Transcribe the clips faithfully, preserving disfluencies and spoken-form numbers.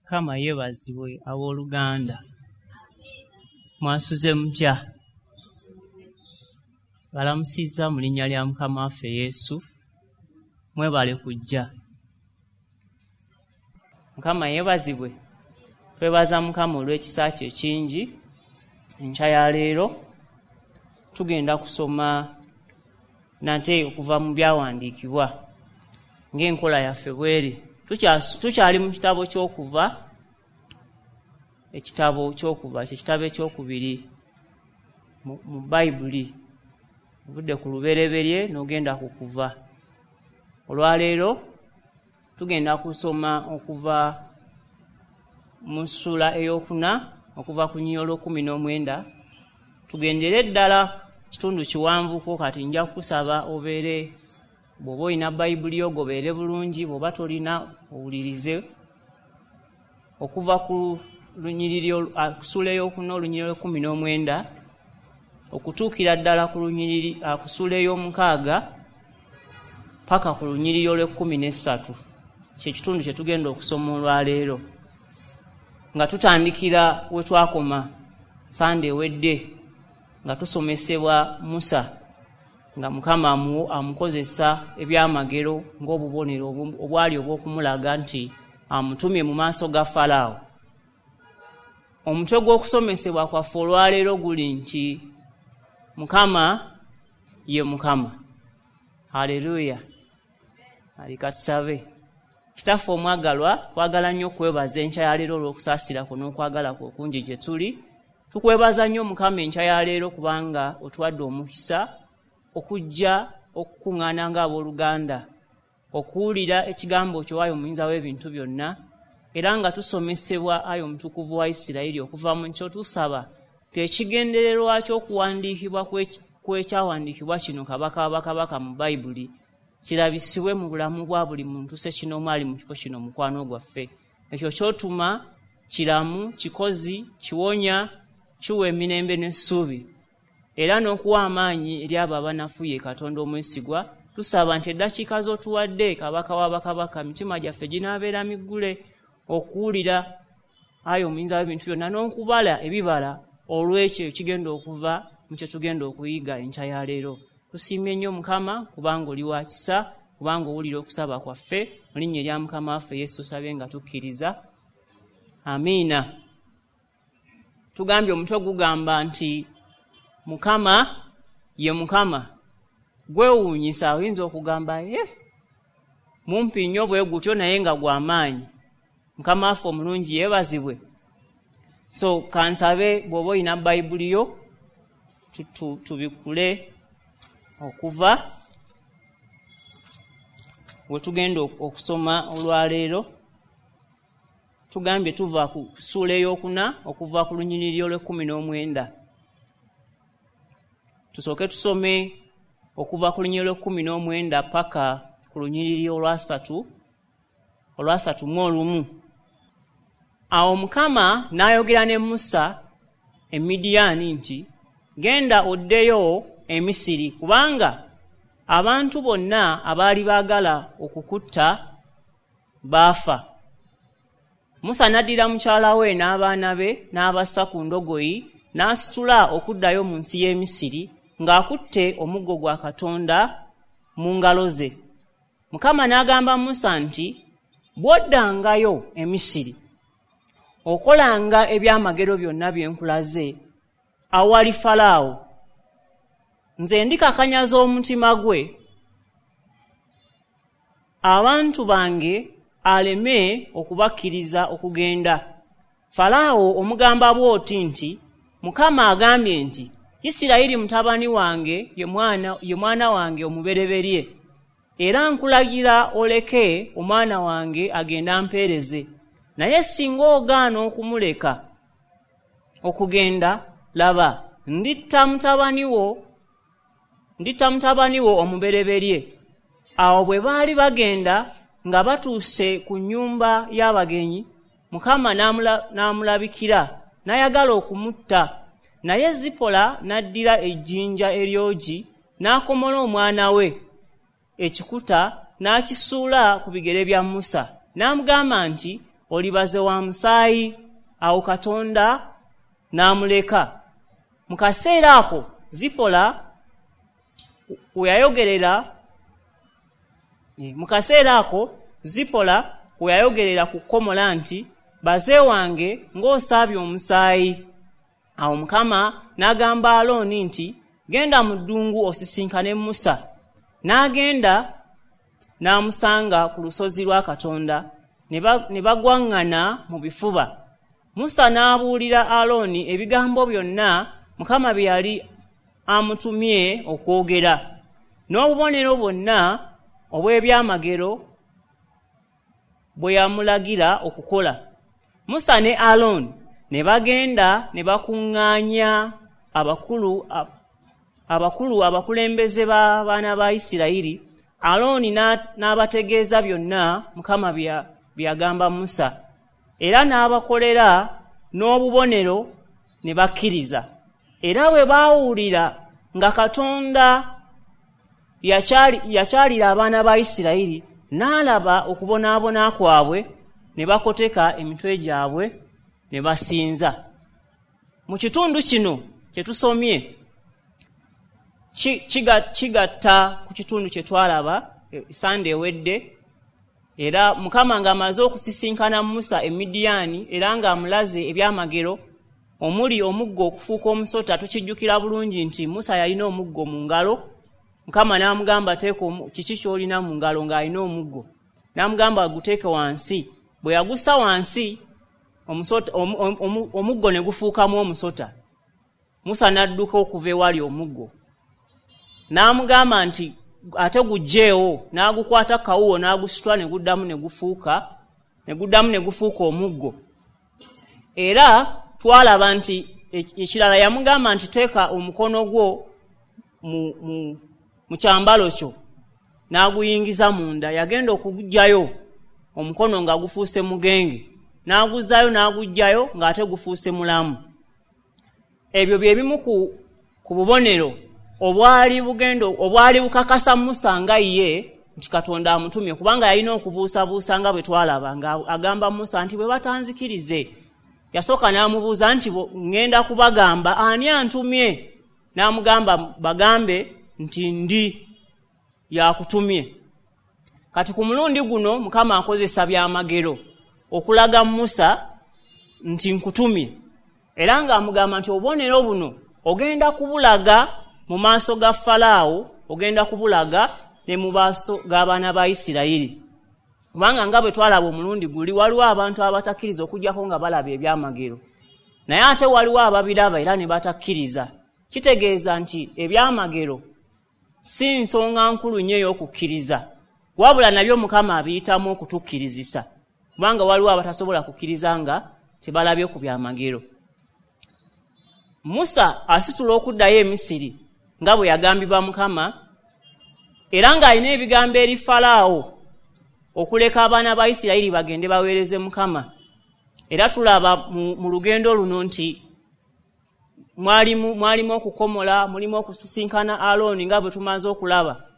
Mukama yeebazibwe abooluganda. Mwasuze mutya? Balamusizza mu linnya lya Mukama waffe Yesu. Mwebale kujja. Mukama yeebazibwe. Twebaza Mukama olw'ekisa kye ekingi. Enkya ya leero tugenda kusoma nate okuva mu byawandiikibwa ng'enkola yaffe bw'eri. Tukyali mu kitabo ky'okuva, ekitabo ky'okuva kye kitabo ekyokubiri mu, mu Bayibuli. Ovudde ku lubereberye n'ogenda ku kuva. Olwaleero tugenda kusoma okuva mu ssuula ey'okuna okuva ku nnyiriri olw'ekkumi n'omwenda. Tugendere ddala kitundu kiwanvuko, kati nja kukusaba obeere bw'oba olina Bayibuli yo gobeere bulungi, bw'oba tolina owulirize. Okuva ku lunyiriri ku ssuula ey'okuna olunyiriri olw'ekkumi n'omwenda okutuukira ddala ku lunyiriri ku ssuula ey'omukaaga paka ku lunyiriri olw'ekkumi n'essatu, kye kitundu kye tugenda okusoma olwaleero, nga tutandikira we twakoma Sande ewedde, nga tusomesebwa Musa nga Mukama amukozesa ebyamagero ng'obubonero obwali obw'okumulaga nti amutumye mu maaso ga Falaawo. Omutwe gw'okusomesebwa kwaffe olwaleero guli nti Mukama ye Mukama. Haleluya. Alika tusabe. Kitaffe omwagalwa, twagala nnyo okwebaza enkya ya leero olw'okusaasira kwo n'okwagala kwo okungi gye tuli. Tukwebaza nnyo Mukama enkya ya leero kubanga otuwadde omukisa okujja okukuŋŋaana ng'abooluganda, okuwulira ekigambo kyo ayi omuyinza w'ebintu byonna, era nga tusomesebwa ayi omutukuvu wa Isirayiri okuva mu kyo. Tusaba tekigendererwa ky'okuwandiikibwa kw'ekyawandiikibwa kino kabaka wa bakabaka mu Bayibuli kirabisibwe mu bulamu bwa buli muntu ssekinoomu ali mu kifo kino mukwano gwaffe. Ekyo ky'otuma kiramu, kikozi, kiwonya, kiwa emirembe n'essuubi, era n'okuwa amaanyi eri abo abanafuye. Katonda omwesigwa, tusaba nti eddakiika z'otuwadde kabaka wa bakabaka, mitima gyaffe ginaabeera miggule okuwulira ayi omuyinza w'ebintu byonna n'okubala ebibala olw'ekyo ekigenda okuva mu kye tugenda okuyiga enkya ya leero. Tusiimye nnyo Mukama kubanga oli wa kisa, kubanga owulira okusaba kwaffe. Mu linnya erya Mukama waffe Yesu osabye nga tukkiriza, amiina. Tugambye omutwe gugamba nti Mukama ye Mukama. Gwewuunyisa, oyinza okugamba ye mumpi nnyo bwe gutyo naye nga gw'amaanyi. Mukama waffe omulungi yeebazibwe. So kansabe bw'oba olina Bayibuli yo tubikkule okuva we tugenda okusoma olwaleero. Tugambye tuva ku ssuula ey'okuna okuva ku lunyiriri olw'ekkumi n'omwenda. Tusooke tusome okuva ku lunyiriri olw'ekkumi n'omwenda paka ku lunyiriri olwasatu olwasatu mu olumu. Awo Mukama n'ayogera ne Musa e Midiyaani nti, genda oddeyo e Misiri, kubanga abantu bonna abaali baagala okukutta baafa. Musa n'addira mukyala we n'abaana be n'abassa ku ndogoyi n'asitula okuddayo mu nsi y'e Misiri ng'akutte omuggo gwa Katonda mu ngalo ze. Mukama n'agamba Musa nti, bw'oddangayo e Misiri okolanga ebyamagero byonna bye nkulaze awali Falaawo, nze ndikakanyaza omutima gwe abantu bange aleme okubakkiriza okugenda. Falaawo omugamba bw'oti nti, Mukama agambye nti, Isirayiri mutabani wange ye mwana, ye mwana wange omubereberye, era nkulagira oleke omwana wange agende ampeereze. Naye singa ogaana okumuleka okugenda, laba nditta mutabani wo nditta mutabani wo omubereberye. Awo bwe baali bagenda nga batuuse ku nnyumba y'abagenyi, Mukama n'amulabikira n'ayagala okumutta. Naye Zipola n'addira ejjinja eryogi n'akomola omwana we ekikuta n'akisuula ku bigere bya Musa, n'amugamba nti, Olibaze wa musaayi." Awo Katonda n'amuleka. Mu kaseera ako Zipola we yayogerera mu kaseera ako Zipola we yayogerera ku kkomola nti, "Baze wange, ng'osaabye omusaayi." Awo Mukama n'agamba Alooni nti, "Genda mu ddungu osisinkane Musa." N'agenda n'amusanga ku lusozi lwa Katonda, ne bagwaŋŋana mu bifuba. Musa n'abuulira Alooni ebigambo byonna Mukama bye yali amutumye okwogera, n'obubonero bwonna obw'ebyamagero bwe yamulagira okukola. Musa ne Alooni ne bagenda ne bakuŋŋaanya abakulu abakulu abakulembeze b'abaana ba Isirayiri. Alooni n'abategeeza byonna Mukama bye yagamba Musa, era n'abakolera n'obubonero ne bakkiriza. Era bwe baawulira nga Katonda yakyalira abaana ba Isirayiri, n'alaba okubonaabona kwabwe, ne bakoteka emitwe gyabwe ne basinza. Mu kitundu kino kye tusomye kigatta ku kitundu kye twalaba Sande ewedde. Era Mukama ng'amaze okusisinkana Musa e Midiyaani, era ng'amulaze ebyamagero omuli omuggo okufuuka omusota. Tukijjukira bulungi nti Musa yalina omuggo mu ngalo. Mukama n'amugamba, "Teeka kiki ky'olina mu ngalo?" Ng'alina omuggo. N'amugamba aguteeke wansi. Bwe yagussa wansi, omuggo ne gufuukamu omusota. Musa n'adduka okuva ewali omuggo. N'amugamba nti, "Ate guggyeewo." N'agukwata kawuwo n'agusitula ne guddamu ne gufuuka ne guddamu ne gufuuka omuggo. Era twalaba nti ekirala yamugamba nti, "Teeka omukono gwo mu, mu, mu kyambalo kyo." N'aguyingiza munda. Yagenda okuguggyayo omukono nga gufuuse mugenge, n'aguzzaayo n'aguggyayo ng'ate gufuuse mulamu. Ebyo bye bimu ku, ku bubonero obwali bugendo obwali bukakasa Musa nga ye nti Katonda amutumye, kubanga yalina okubuusabuusa nga bwe twalaba nga agamba Musa nti, "Bwe batanzikirize." Yasooka n'amubuuza nti, "Ŋŋenda kubagamba ani antumye?" N'amugamba, "Bagambe nti ndi yakutumye." Kati ku mulundi guno Mukama akozesa byamagero okulaga Musa nti nkutumye, era ng'amugamba nti obubonero buno ogenda kubulaga mu maaso ga Falaawo, ogenda kubulaga ne mu maaso g'abaana ba Isirayiri. Kubanga nga bwe twalaba omulundi guli, waliwo abantu abatakkiriza okuggyako nga balaba ebyamagero, naye ate waliwo ababiraba era ne batakkiriza. Kitegeeza nti ebyamagero si nsonga nkulu nnyo ey'okukkiriza, wabula nabyo Mukama abiyitamu okutukkirizisa, kubanga waliwo abatasobola kukkiriza nga tebalabye ku byamagero. Musa asitula okuddayo e Misiri nga bwe yagambibwa Mukama, era ng'alina ebigambo eri Falaawo okuleka abaana ba Isirayiri bagende baweereze Mukama. Era tulaba mu, mu lugendo luno nti mwalimu mwalimu okukomola, mulimu okusisinkana Alooni nga bwe tumaze okulaba.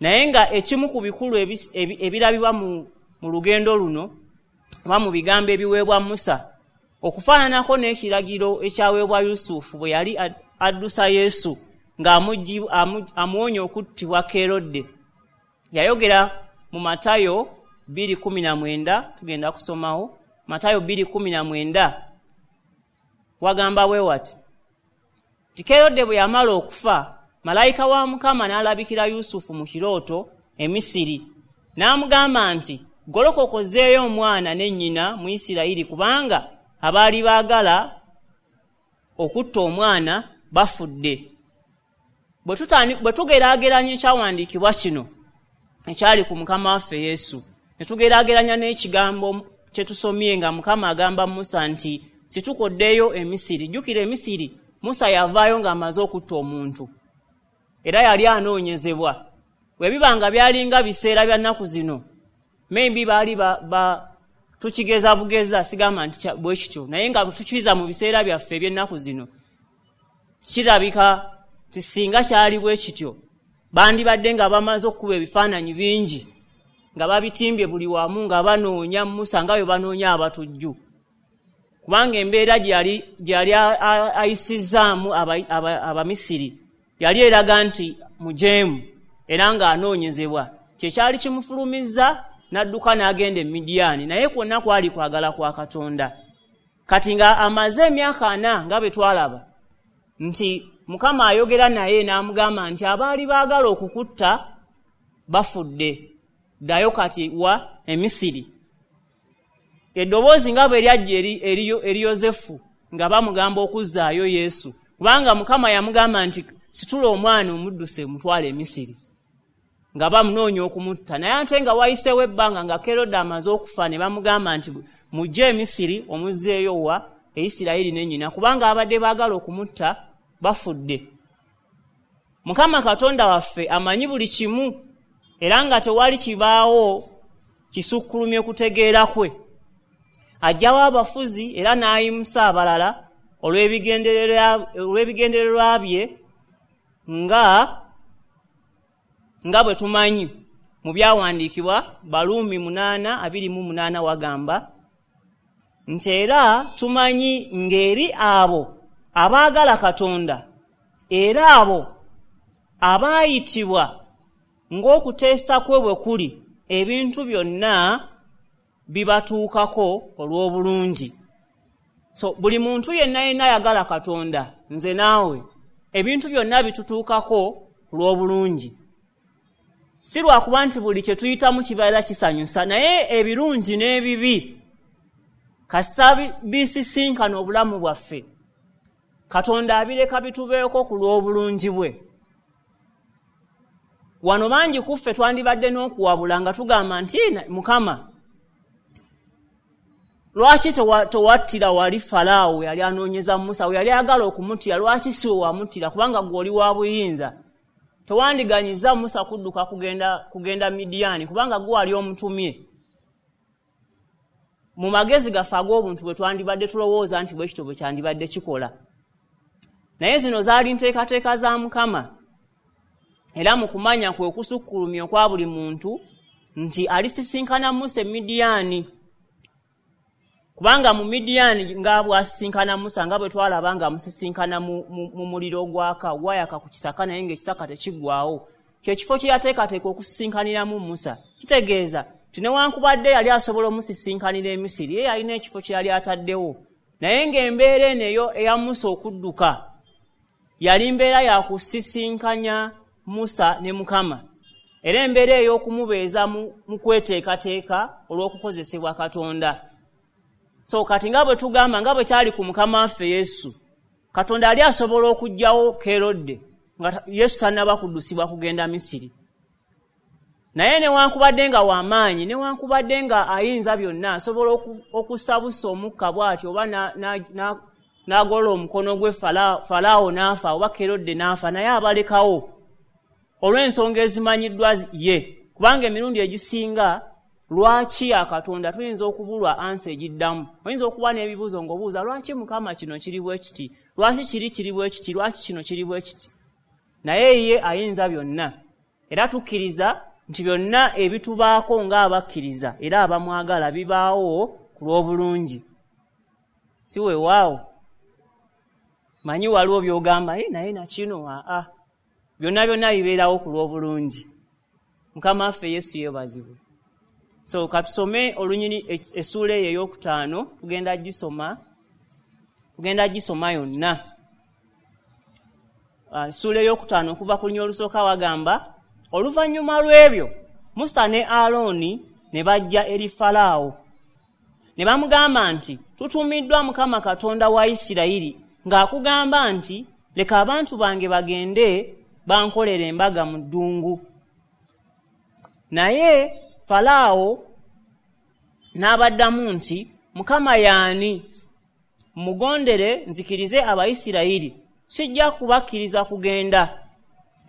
Naye nga ekimu ku bikulu ebirabibwa mu, mu lugendo luno oba mu bigambo ebiweebwa Musa, okufaananako n'ekiragiro ekyaweebwa Yusufu bwe yali addusa Yesu ng'amuwonya okuttibwa Kerode. Yayogera mu Matayo bbiri kkumi na mwenda, tugenda kusomawo Matayo bbiri kkumi na mwenda, wagamba bwe wati nti Kerode bwe yamala okufa, malayika wa Mukama n'alabikira Yusufu mu kirooto e Misiri, n'amugamba nti, "Golokoka ozzeeyo omwana ne nnyina mu Isirayiri, kubanga abaali baagala okutta omwana bafudde." Bwe tugeraageranya ekyawandiikibwa kino ekyali ku Mukama waffe Yesu, ne tugeraageranya n'ekigambo kye tusomye nga Mukama agamba Musa nti, "Situkoddeyo e Misiri." Jjukira e Misiri Musa yavaayo ng'amaze okutta omuntu, era yali anoonyezebwa. Bwe biba nga byalinga biseera bya nnaku zino, maybe baali ba, ba tukigeza bugeza, sigamba nti bwe kityo, naye nga tukiza mu biseera byaffe eby'ennaku zino, kirabika nti singa kyali bwe kityo bandibadde nga bamaze okukuba ebifaananyi bingi nga babitimbye buli wamu nga banoonya Musa nga bwe banoonya abatujju, kubanga embeera gyali gyali ayisizzaamu Abamisiri yali eraga nti mujeemu era ng'anoonyezebwa. Kyekyali kimufulumizza n'adduka n'agenda e Midiyaani, naye kwonna kwali kwagala kwa Katonda. Kati nga amaze emyaka ana nga bwe twalaba nti Mukama ayogera naye n'amugamba nti abaali baagala okukutta bafudde, ddayo kati wa Emisiri. Eddoboozi nga bwe lyajja eri, eri, eri Yosefu nga bamugamba okuzzaayo Yesu, kubanga Mukama yamugamba nti situla omwana omudduse mutwale Emisiri, nga bamunoonya okumutta. Naye ate nga wayiseewo ebbanga nga Kerode amaze okufa, ne bamugamba nti mujje Emisiri omuzzeeyo wa Isirayiri ne nnyina, kubanga abadde baagala okumutta bafudde. Mukama Katonda waffe amanyi buli kimu, era nga tewali kibaawo kisukkulumye kutegeera kwe. Ajjawo abafuzi era n'ayimusa abalala olw'ebigendererwa bye nga nga bwe tumanyi mu byawandiikibwa. Baluumi munaana abiri mu munaana wagamba nti era tumanyi ng'eri abo abaagala Katonda, era abo abaayitibwa ng'okuteesa kwe bwe kuli, ebintu byonna bibatuukako olw'obulungi. So buli muntu yenna yenna ayagala Katonda, nze naawe, ebintu byonna bitutuukako olw'obulungi. Si lwakuba nti buli kye tuyitamu kibeera kisanyusa, naye ebirungi n'ebibi kasita bisisinkana obulamu bwaffe, Katonda abireka bitubeeko ku lw'obulungi bwe. Wano bangi ku ffe twandibadde n'okuwabula nga tugamba nti Mukama, lwaki towattira wali Falaawo yali anoonyeza Musa, we yali ayagala okumuttira, lwaki si we wamuttira? Kubanga ggwe oli wa buyinza. Tewandiganyiza Musa kudduka kugenda kugenda Midiyaani, kubanga ggwe wali omutumye. Mu magezi gaffe ag'obuntu bwe twandibadde tulowooza nti bwe kityo bwe kyandibadde kikola. Naye zino zaali nteekateeka za Mukama, era mu kumanya kwe okusukkulumya okwa buli muntu nti alisisinkana Musa e Midiyaani, kubanga mu Midiyaani nga bw'asisinkana Musa, nga bwe twalaba nga amusisinkana mu, mu, mu muliro ogwaka ogwayaka ku kisaka, naye ng'ekisaka tekiggwaawo, kye kifo kye yateekateeka okusisinkaniramu Musa. Kitegeeza nti newankubadde yali asobola omusisinkanira e Misiri, ye yalina ekifo kye yali ataddewo, naye ng'embeera eno eyo eya Musa okudduka yali mbeera ya kusisinkanya Musa ne Mukama, era embeera ey'okumubeeza mu kweteekateeka olw'okukozesebwa Katonda. So kati nga bwe tugamba, nga bwe kyali ku Mukama waffe Yesu, Katonda ali asobola okuggyawo Kerode nga Yesu tannaba kuddusibwa kugenda Misiri. Naye newankubadde nga w'amaanyi, newankubadde nga ayinza byonna, asobola okusabusa omukka bw'atyo, oba n'agolola omukono gwe Falaawo n'afa, oba Kerode n'afa, naye abalekawo olw'ensonga ezimanyiddwa ye. Kubanga emirundi egisinga lwaki ya Katonda tuyinza okubulwa ansa egiddamu. Oyinza okuba n'ebibuuzo ng'obuuza lwaki Mukama kino kiri bwe kiti, lwaki kiri kiri bwe kiti, lwaki kino kiri bwe kiti. Naye ye ayinza byonna, era tukkiriza nti byonna ebitubaako ng'abakkiriza era abamwagala bibaawo ku lw'obulungi. Si weewaawo manyi waliwo by'ogamba naye nakino aa, byonna byonna bibeerawo ku lw'obulungi. Mukama waffe Yesu yeebazibwe. So katusome olunyiri essuula eyo ey'okutaano, tugenda gisoma tugenda gisoma yonna. Essuula ey'okutaano okuva ku lunyiri olusooka wagamba, oluvannyuma lw'ebyo Musa ne Alooni ne bajja eri Falaawo ne bamugamba nti tutumiddwa Mukama Katonda wa Isirayiri ng'akugamba nti leka abantu bange bagende bankolere embaga mu ddungu. Naye Falaawo n'abaddamu nti Mukama y'ani? Mugondere nzikirize Abayisirayiri, sijja kubakkiriza kugenda.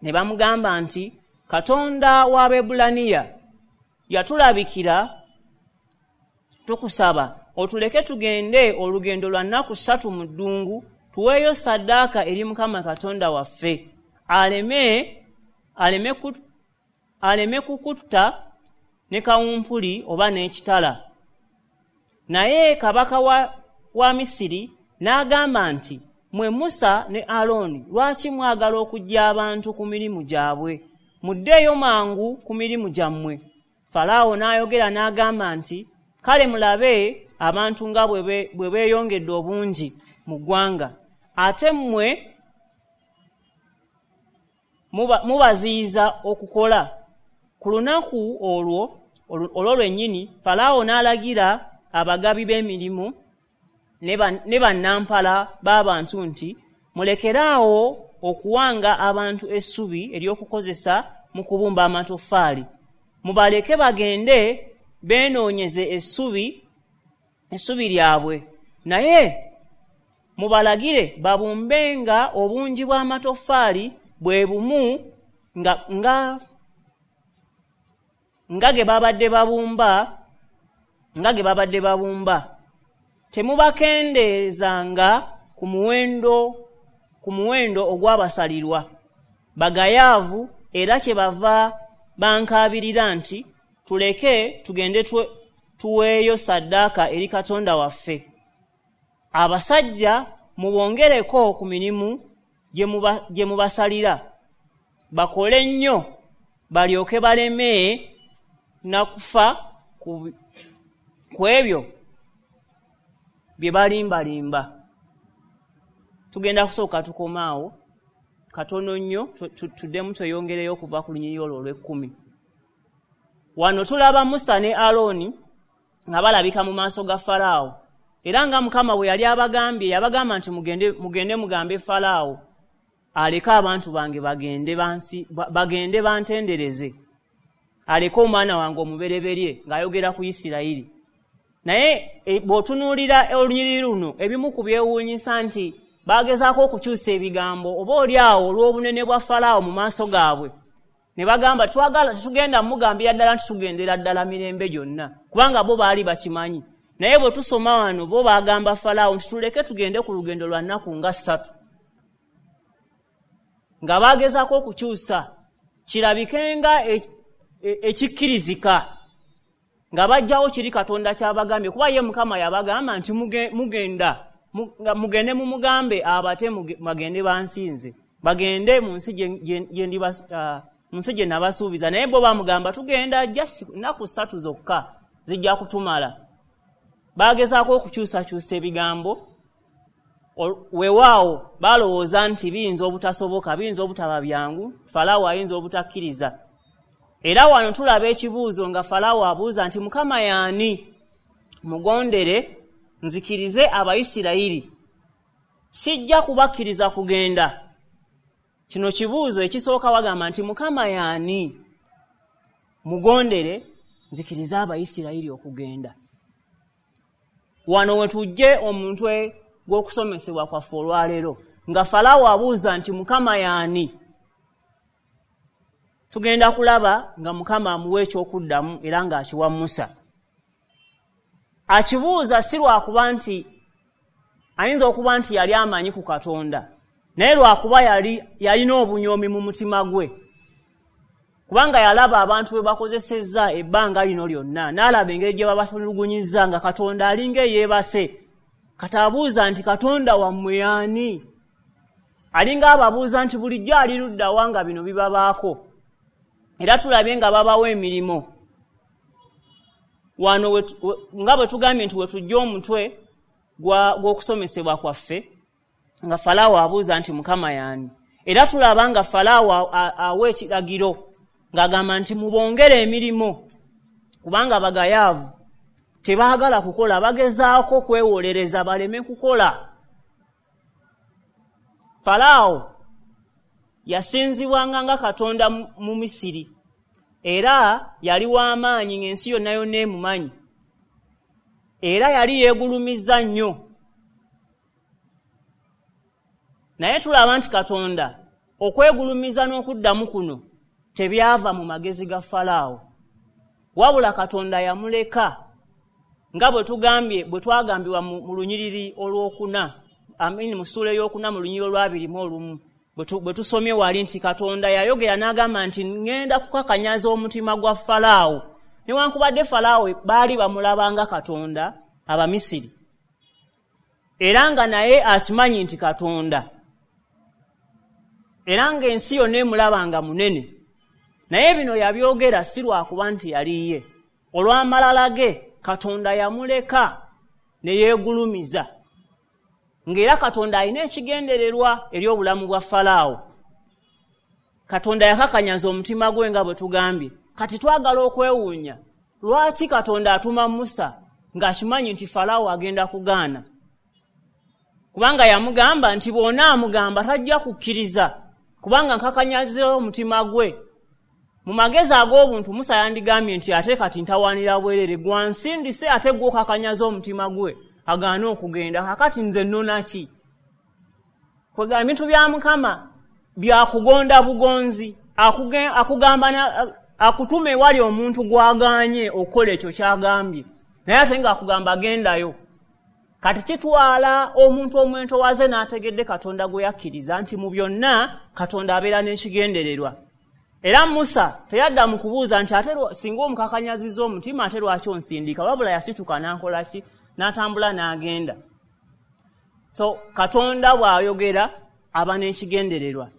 Ne bamugamba nti Katonda w'Abaebbulaniya yatulabikira, tukusaba otuleke tugende olugendo lwa nnaku ssatu mu ddungu, tuweeyo ssaddaaka eri Mukama Katonda waffe, aleme aleme aleme kukutta ne kawumpuli oba n'ekitala. Naye kabaka wa, wa Misiri n'agamba nti, mwe Musa ne Alooni, lwaki mwagala okuggya abantu ku mirimu gyabwe? Muddeeyo mangu ku mirimu gyammwe. Falaawo n'ayogera n'agamba nti, kale mulabe abantu nga bwe beeyongedde obungi mu ggwanga, ate mmwe mubaziyiza okukola. Ku lunaku olwo olwo lwennyini Falaawo n'alagira abagabi b'emirimu ne bannampala b'abantu nti, mulekeraawo okuwanga abantu essubi ery'okukozesa mu kubumba amatoffaali, mubaleke bagende beenoonyeze essubi essubi lyabwe, naye mubalagire babumbenga obungi bw'amatoffaali bwe bumu nga nga nga ge babadde babumba nga ge babadde babumba. Temubakendeezanga ku muwendo ku muwendo ogw'abasalirwa. Bagayaavu era kyebava bankaabirira nti, tuleke tugende tuweeyo ssaddaaka eri Katonda waffe. Abasajja mubongereko ku mirimu gye mubasalira, bakole nnyo balyoke baleme na kufa ku ebyo bye balimbalimba. Tugenda kusooka tukomaawo katono nnyo, tuddemu tweyongereyo okuva ku lunyiriri olwo olw'ekkumi. Wano tulaba Musa ne Alooni nga balabika mu maaso ga Falaawo, era nga Mukama bwe yali abagambye, yabagamba nti mugende mugende mugambe Falaawo aleke abantu bange bagende bansi bagende bantendereze, aleke omwana wange omubereberye, ng'ayogera ku Isirayiri. Naye e, bw'otunuulira olunyiriri luno, ebimu ku byewuunyisa nti bagezaako okukyusa ebigambo oba oli awo olw'obunene bwa Falaawo mu maaso gaabwe, ne bagamba twagala tetugenda mugambira ddala nti tugendera ddala mirembe gyonna, kubanga bo baali bakimanyi. Naye bwe tusoma wano bo bagamba Falaawo nti tuleke tugende ku lugendo lwa nnaku nga ssatu, nga bagezaako okukyusa kirabike nga ekikkirizika, nga bajjawo kiri Katonda ky'abagambye, kuba ye Mukama yabagamba nti mugenda mugende mumugambe abate bagende bansinze, bagende mu nsi gye nabasuubiza. Naye bo bamugamba tugenda just nnaku ssatu zokka zijja kutumala. Bagezaako okukyusakyusa ebigambo, weewaawo balowooza nti biyinza obutasoboka, biyinza obutaba byangu, Falaawo ayinza obutakkiriza. Era wano tulaba ekibuuzo nga Falaawo abuuza nti Mukama y'ani? Mugondere nzikirize Abayisirayiri, sijja kubakkiriza kugenda. Kino kibuuzo ekisooka, wagamba nti Mukama y'ani? Mugondere nzikirize Abayisirayiri okugenda. Wano we tujje omutwe gw'okusomesebwa kwaffe olwaleero, nga Falaawo abuuza nti Mukama y'ani? Tugenda kulaba nga Mukama amuwa eky'okuddamu era ng'akiwa Musa. Akibuuza si lwakuba nti ayinza okuba nti yali amanyi ku Katonda, naye lwakuba yali yalina obunyoomi mu mutima gwe, kubanga yalaba abantu bwe bakozesezza ebbanga lino lyonna, n'alaba engeri gye babatulugunyizza nga Katonda alinga eyeebase. Kati abuuza nti Katonda wammwe y'ani? Alinga ababuuza nti bulijjo ali ludda wa nga bino bibabaako? Era tulabye nga babawa emirimu. Wano nga bwe tugambye nti we tujja omutwe gw'okusomesebwa kwaffe, nga Falaawo abuuza nti Mukama y'ani? Era tulaba nga Falaawo awa ekiragiro ng'agamba nti mubongere emirimu, kubanga bagayaavu tebaagala kukola, bagezaako kwewolereza baleme kukola. Falaawo yasinzibwanga nga Katonda mu Misiri, era yali w'amaanyi ng'ensi yonna yonna emumanyi, era yali yeegulumizza nnyo. Naye tulaba nti Katonda okwegulumiza n'okuddamu kuno tebyava mu magezi ga Falaawo, wabula Katonda yamuleka, nga bwe tugambye bwe twagambibwa mu lunyiriri olwokuna, amini mu ssuula ey'okuna mu lunyiriri olw'abiri mu olumu, bwe tusomye wali nti Katonda yayogera n'agamba nti ŋŋenda kukakanyaza omutima gwa Falaawo Newankubadde Falaawo baali bamulabanga Katonda Abamisiri, era nga naye akimanyi nti Katonda, era ng'ensi yonna emulabanga munene, naye bino yabyogera si lwakuba nti yali ye. Olw'amalala ge Katonda yamuleka ne yeegulumiza, ng'era Katonda alina ekigendererwa eri obulamu bwa Falaawo. Katonda yakakanyaza omutima gwe nga bwe tugambye. Kati twagala okwewuunya lwaki Katonda atuma Musa ng'akimanyi nti Falaawo agenda kugaana, kubanga yamugamba nti bw'onaamugamba tajja kukkiriza, kubanga nkakanyaze omutima gwe. Mu magezi ag'obuntu Musa yandigambye nti ate kati ntawaanira bwerere, gwansindise ate gw'okakanyaza omutima gwe agaane okugenda, kakati nze nnona ki? Kwegamba ebintu bya Mukama byakugonda bugonzi, akugamba akutuma ewali omuntu gw'agaanye okukola ekyo ky'agambye, naye ate ng'akugamba gendayo. Kati kitwala omuntu omwentowaze n'ategedde Katonda gwe yakkiriza nti mu byonna Katonda abeera n'ekigendererwa. Era Musa teyadda mu kubuuza nti ate singa omukakanyaziza omutima ate lwaki onsindika, wabula yasituka n'akola ki? N'atambula n'agenda. So Katonda bw'ayogera aba n'ekigendererwa,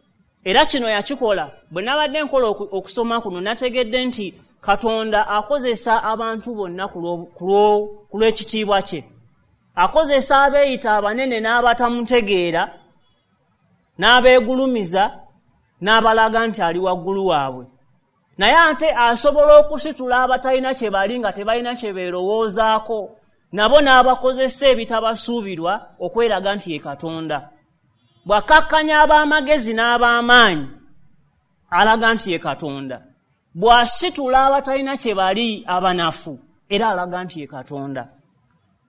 era kino yakikola. Bwe nabadde nkola okusoma kuno nategedde nti Katonda akozesa abantu bonna ku lw'ekitiibwa kye. Akozesa abeeyita abanene n'abatamutegeera, n'abeegulumiza, n'abalaga nti ali waggulu waabwe. Naye ate asobola okusitula abatalina kye bali nga tebalina kye beerowoozaako, nabo n'abakozesa ebitabasuubirwa okweraga nti ye Katonda. Bw'akakkanya ab'amagezi n'ab'amaanyi alaga nti ye Katonda. Bw'asitula abatalina kye bali abanafu era alaga nti ye Katonda.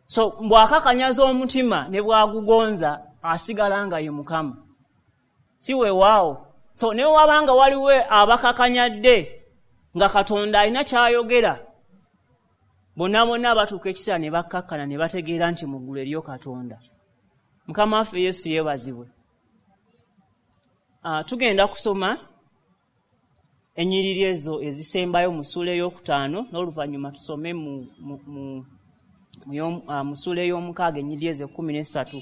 So bw'akakanyaza omutima ne bw'agugonza asigala nga ye Mukama, si weewaawo. So ne wabanga waliwo abakakanyadde nga Katonda alina ky'ayogera, bonna bonna batuuka ekiseera ne bakkakkana ne bategeera nti mu ggulu eriyo Katonda. Mukama waffe Yesu yeebazibwe. Uh, tugenda kusoma ennyiriri ezo ezisembayo mu ssuula ey'okutaano, n'oluvannyuma tusome mu, mu, mu, mu, mu ssuula ey'omukaaga ennyiriri ezo ekkumi n'essatu.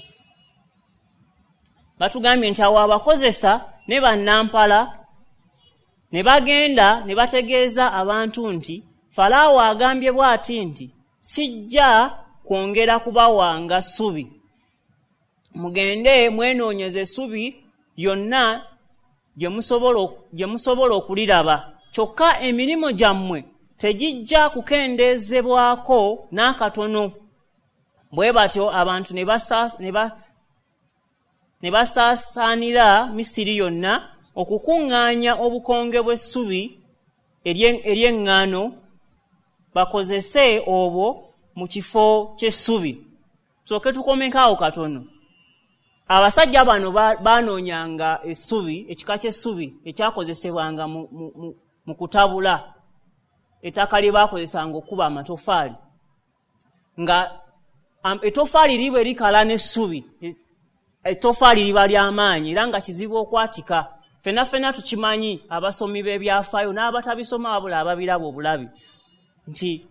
Batugambye nti awo abakozesa ne bannampala ne bagenda ne bategeeza abantu nti Falaawo agambye bw'ati nti sijja kwongera kubawanga ssubi, mugende mwenoonyeze essubi yonna gye musobola okuliraba, kyokka emirimu gyammwe tegijja kukendeezebwako n'akatono. Bwe batyo abantu ne basaasaanira Misiri yonna okukuŋŋaanya obukonge bw'essubi ery'eŋŋaano bakozese obwo mu kifo ky'essubi. Tusooke tukomeko awo katono. Abasajja bano banoonyanga essubi, ekika ky'essubi ekyakozesebwanga mu, mu, mu, mu kutabula ettaka lye baakozesanga okukuba amatoffaali, nga ettoffaali liba erikala n'essubi, ettoffaali liba ly'amaanyi era nga kizibu okwatika. Ffenna ffenna tukimanyi abasomi b'ebyafaayo n'abatabisoma wabula ababiraba obulabi nti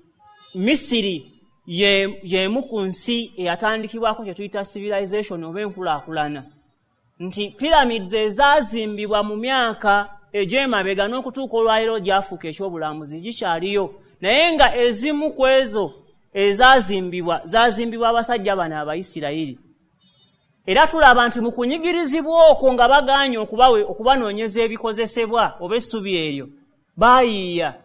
Misiri y'emu ku nsi eyatandikibwako kye tuyita civilization oba enkulaakulana, nti pyramids ezaazimbibwa mu myaka egy'emabega n'okutuuka olwaleero gyafuuka ekyobulambuzi gikyaliyo, naye nga ezimu ku ezo ezaazimbibwa zaazimbibwa abasajja bano Abayisirayiri. Era tulaba nti mu kunyigirizibwa okwo nga bagaanye okubanoonyeza ebikozesebwa oba essubi eryo, baayiiya.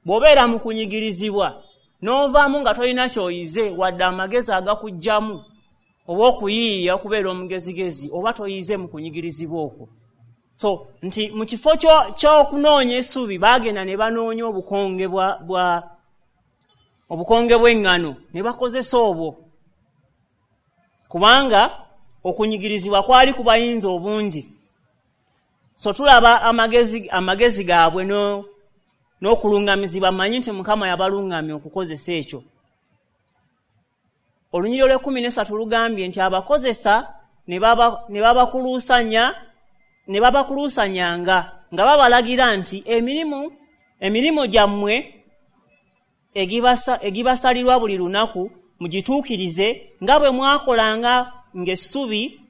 Bw'obeera mu kunyigirizibwa n'ovaamu nga tolina ky'oyize wadde amagezi agakuggyamu oba okuyiiya okubeera omugezigezi, oba toyize mu kunyigirizibwa okwo. So nti mu kifo ky'okunoonya essubi baagenda ne banoonya obukonge bwa, bwa obukonge bw'eŋŋano ne bakozesa obwo, kubanga okunyigirizibwa kwali kubayinza obungi. So tulaba amagezi, amagezi gaabwe no n'okuluŋŋamizibwa. Mmanyi nti Mukama yabaluŋŋamya okukozesa ekyo. Olunyiriri olw'ekkumi n'essatu lugambye nti abakozesa ne babakuluusanya ne babakuluusanyanga nga babalagira nti emirimu emirimu gyammwe egibasalirwa buli lunaku mugituukirize nga bwe mwakolanga ng'essubi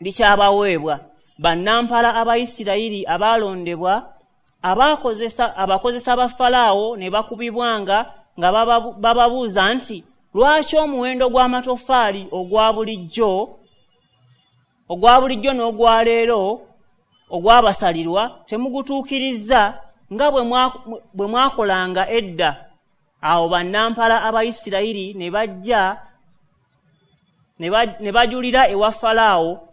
likyabaweebwa. Bannampala Abayisirayiri abaalondebwa abakozesa abakozesa ba Falaawo ne bakubibwanga nga bababuuza nti, lwaki omuwendo gw'amatoffaali ogwa bulijjo ogwa bulijjo n'ogwa leero ogwabasalirwa temugutuukirizza nga bwe mwakolanga edda? Awo bannampala Abayisirayiri ne bajja ne bajulira ewa Falaawo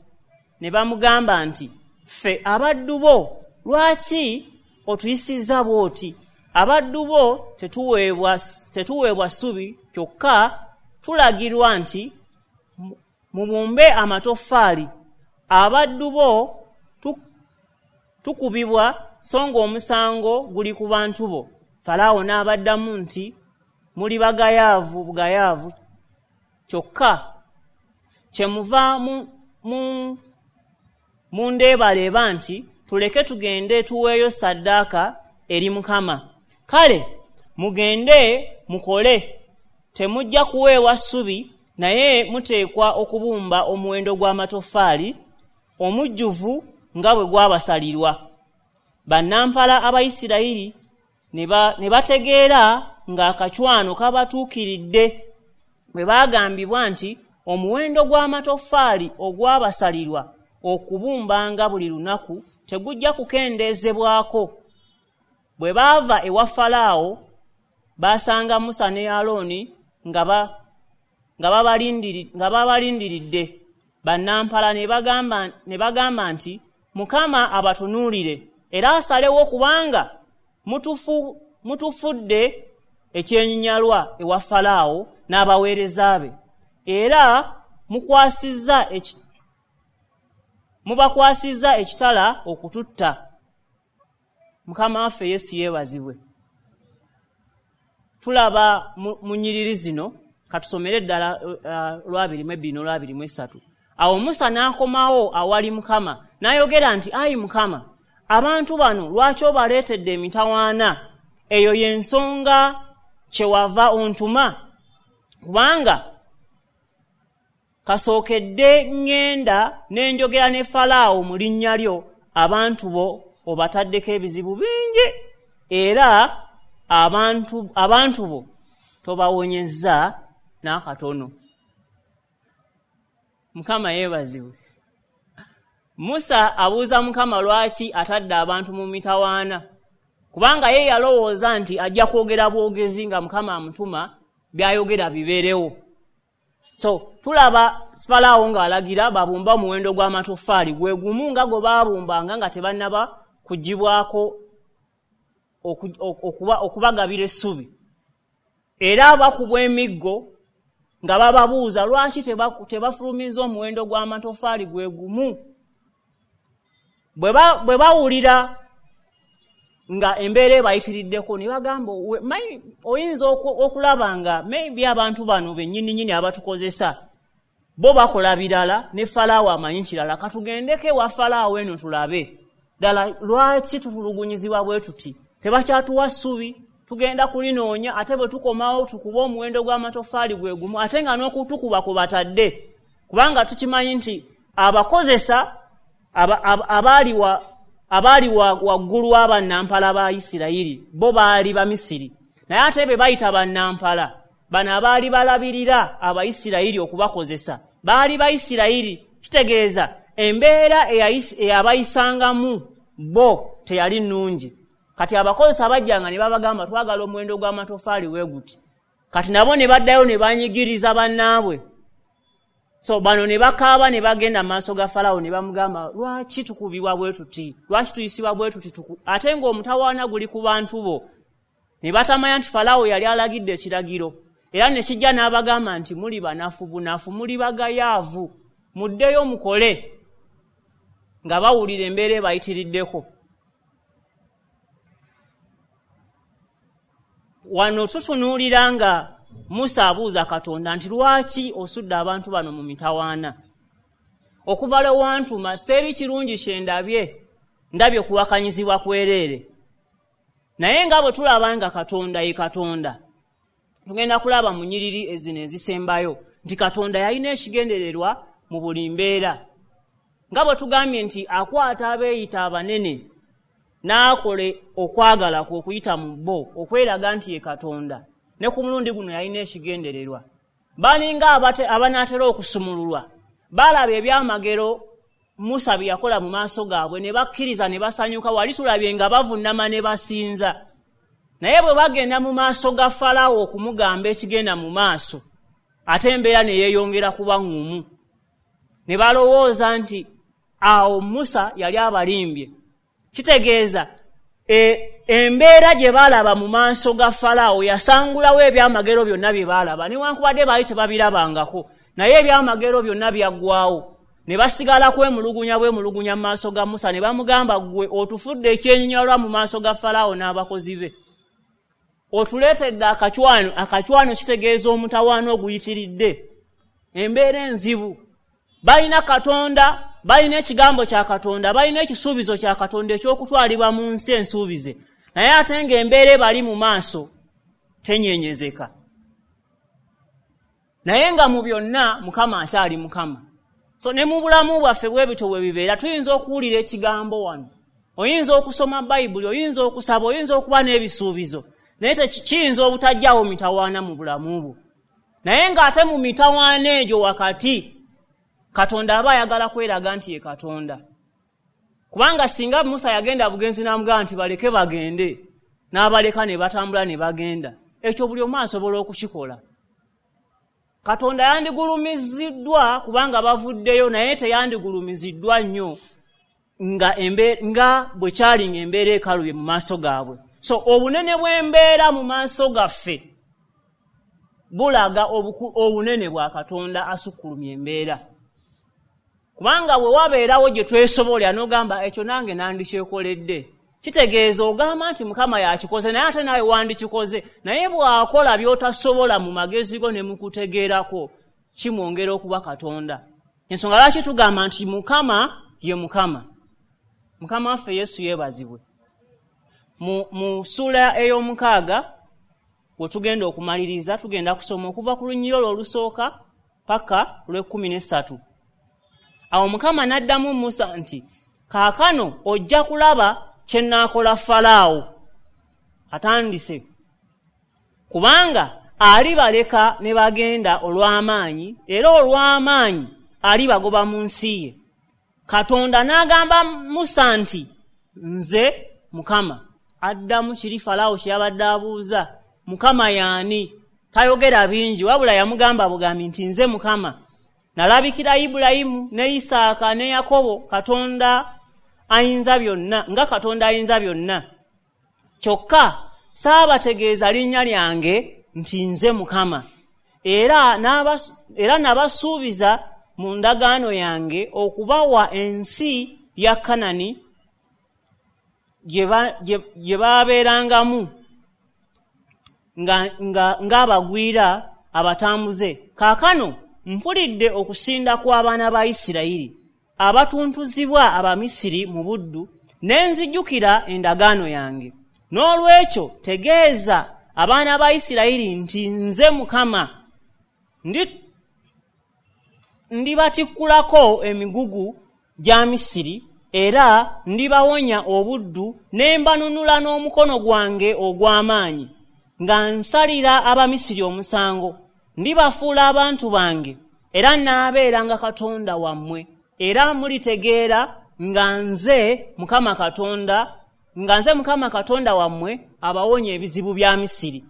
ne bamugamba nti, ffe abaddu bo lwaki otuyisizza bw'oti? Abaddu bo tetuweebwa tetuweebwa ssubi, kyokka tulagirwa nti mubumbe amatoffaali. Abaddu bo tukubibwa, so ng'omusango guli ku bantu bo. Falaawo n'abaddamu nti, muli bagayaavu bugayaavu, kyokka kyemuva mu mundeebaleeba nti tuleke tugende tuweeyo ssaddaaka eri Mukama. Kale mugende mukole, temujja kuweebwa ssubi, naye muteekwa okubumba omuwendo gw'amatoffaali omujjuvu nga bwe gwabasalirwa. Bannampala Abayisirayiri ne bategeera ng'akacwano kabatuukiridde bwe baagambibwa nti omuwendo gw'amatoffaali ogwabasalirwa okubumbanga buli lunaku tegujja kukendeezebwako. Bwe baava ewa Falaawo baasanga Musa ne Alooni nga babalindiridde. Bannampala ne bagamba ne bagamba nti, Mukama abatunuulire era asalewo, kubanga mutufu mutufudde ekyenyinyalwa ewa Falaawo n'abaweereza be, era mukwasizza mubakwasizza ekitala okututta. Mukama waffe Yesu yeebazibwe. Tulaba mu nnyiriri zino, katusomere ddala olwabiri mu ebbiri n'olwabiri mu esatu. Awo Musa n'akomawo awali Mukama n'ayogera nti, ayi Mukama, abantu bano lwaki obaleetedde emitawaana? Eyo y'ensonga kyewava ontuma, kubanga kasookedde ŋŋenda ne njogera ne Falaawo mu linnya lyo, abantu bo obataddeko ebizibu bingi, era abantu abantu bo tobawonyezza n'akatono. Mukama yeebazibwe. Musa abuuza Mukama lwaki atadde abantu mu mitawaana, kubanga ye yalowooza nti ajja kwogera bwogezi nga Mukama amutuma by'ayogera bibeerewo. So tulaba Falaawo ng'alagira babumba omuwendo gw'amatoffaali gwe gumu nga gwe baabumbanga nga tebannaba kugibwako okubagabira essubi. Era bakubwa emiggo nga bababuuza lwaki tebafulumiza omuwendo gw'amatoffaali gwe gumu. Bwe bawulira nga embeera ebayitiriddeko ne bagamba, oyinza okulaba nga maybe abantu bano bennyininyini abatukozesa bo bakola birala ne Falaawo amanyi kirala, katugendeko ewa Falaawo eno tulabe ddala lwaki tutulugunyizibwa bwe tuti, tebakyatuwa ssubi, tugenda kulinoonya, ate bwe tukomawo tukuba omuwendo gw'amatoffaali gwe gumu, ate nga n'okutukuba kubatadde, kubanga tukimanyi nti abakozesa abaali abaali waggulu w'abannampala ba Isirayiri bo baali Bamisiri, naye ate be bayita bannampala bano abaali balabirira Abayisirayiri okubakozesa baali Bayisirayiri. Kitegeeza embeera eyabayisangamu bo teyali nnungi. Kati abakozesa bajjanga ne babagamba twagala omuwendo gw'amatoffaali we guti, kati nabo ne baddayo ne banyigiriza bannaabwe. So bano ne bakaaba ne bagenda mu maaso ga Falaawo ne bamugamba lwaki tukubibwa bwe tuti, lwaki tuyisibwa bwe tuti, ate ng'omutawaana guli ku bantu bo. Ne batamanya nti Falaawo yali alagidde ekiragiro, era ne kijja n'abagamba nti muli banafu bunafu, muli bagayaavu, muddeyo mukole, nga bawulira embeera ebayitiriddeko. Wano tutunuulira nga Musa abuuza Katonda nti lwaki osudde abantu bano mu mitawaana? Okuva lwe wantuma seri kirungi kye ndabye, ndabye kuwakanyizibwa kwereere. Naye nga bwe tulaba nga Katonda ye Katonda, Tugenda kulaba mu nnyiriri ezino ezisembayo nti Katonda yalina ekigendererwa mu buli mbeera. Nga bwe tugambye nti akwata abeeyita abanene n'akola okwagala kwe okuyita mu bo okweraga nti ye Katonda, ne ku mulundi guno yalina ekigendererwa. Balinga abanaatera okusumululwa, balaba ebyamagero Musa bye yakola mu maaso gaabwe ne bakkiriza ne basanyuka, wali tulabye nga bavunnama ne basinza. Naye bwe bagenda mu maaso ga Falaawo okumugamba ekigenda mu maaso, ate embeera ne yeeyongera kuba ŋŋumu. Ne balowooza nti awo Musa yali abalimbye. Kitegeeza e, embeera gye baalaba mu maaso ga Falaawo yasangulawo ebyamagero byonna bye baalaba, newankubadde baali tebabirabangako, naye ebyamagero byonna byaggwawo. Ne basigala kwemulugunya bwemulugunya mu maaso ga Musa, ne bamugamba, ggwe otufudde ekyenyinyalwa mu maaso ga Falaawo n'abakozi be, otuleetedde akacwano. Akacwano kitegeeza omutawaana oguyitiridde, embeera enzibu. Balina Katonda, balina ekigambo kya Katonda, balina ekisuubizo kya Katonda eky'okutwalibwa mu nsi ensuubize, naye ate ng'embeera ebali mu maaso tenyenyezeka. Naye nga mu byonna Mukama akyali Mukama. So ne mu bulamu bwaffe bwe bityo bwe bibeera. Tuyinza okuwulira ekigambo wano, oyinza okusoma Bayibuli, oyinza okusaba, oyinza okuba n'ebisuubizo, naye kiyinza obutajjaawo mitawaana mu bulamu bwo. Naye ng'ate mu mitawaana egyo wakati Katonda aba ayagala kweraga nti ye Katonda. Kubanga singa Musa yagenda bugenzi n'amugamba nti baleke bagende, n'abaleka ne batambula ne bagenda, ekyo buli omu asobola okukikola. Katonda yandigulumiziddwa kubanga bavuddeyo, naye teyandigulumiziddwa nnyo nga embe, nga bwe kyali ng'embeera ekalubye mu maaso gaabwe. So obunene bw'embeera mu maaso gaffe bulaga obunene bwa Katonda asukkulumya embeera. Kubanga bwe wabeerawo gye twesobolera n'ogamba ekyo nange nandikyekoledde, kitegeeza ogamba nti Mukama yakikoze, naye ate naawe wandikikoze. Naye bw'akola by'otasobola mu magezi go ne mu kutegeerako, kimwongera okuba Katonda. Ensonga lwaki tugamba nti Mukama ye Mukama. Mukama waffe Yesu yeebazibwe. Mu, mu ssuula ey'omukaaga we tugenda okumaliriza, tugenda kusoma okuva ku lunyiriri olwo olusooka paka lw'ekkumi n'essatu. Awo Mukama n'addamu Musa nti, kaakano ojja kulaba kye nnaakola Falaawo. Atandise. Kubanga alibaleka ne bagenda olw'amaanyi, era olw'amaanyi alibagoba mu nsi ye. Katonda n'agamba Musa nti, nze Mukama. Addamu kiri Falaawo kye yabadde abuuza, Mukama y'ani? Tayogera bingi, wabula yamugamba bugambi nti nze Mukama. Nalabikira Ibulayimu ne Isaaka ne Yakobo, Katonda ayinza byonna, nga Katonda ayinza byonna. Kyokka saabategeeza linnya lyange nti nze Mukama. Era era nabasuubiza mu ndagaano yange okubawa ensi ya Kanani gye baabeerangamu ng'abagwira abatambuze. Kaakano mpulidde okusinda kw'abaana ba Isirayiri abatuntuzibwa Abamisiri mu buddu, ne nzijukira endagaano yange. N'olwekyo tegeeza abaana ba Isirayiri nti nze Mukama. Ndi ndibatikkulako emigugu gya Misiri, era ndibawonya obuddu, ne mbanunula n'omukono gwange ogw'amaanyi, nga nsalira Abamisiri omusango. Ndibafuula abantu bange, era nnaabeeranga Katonda wammwe. Era mulitegeera nga nze Mukama Katonda, nga nze Mukama Katonda wammwe abawonya ebizibu bya Misiri.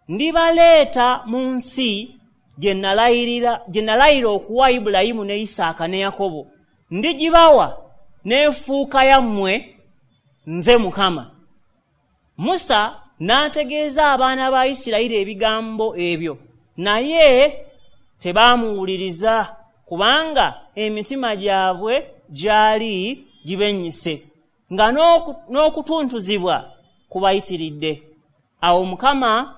Ndibaleeta mu nsi gye nalayirira gye nalayira okuwa Ibulayimu ne Isaaka ne Yakobo. Ndigibawa n'efuuka yammwe, nze Mukama. Musa n'ategeeza abaana ba Isirayiri ebigambo ebyo, naye tebaamuwuliriza, kubanga emitima gyabwe gyali gibennyise, nga n'okutuntuzibwa kubayitiridde. Awo Mukama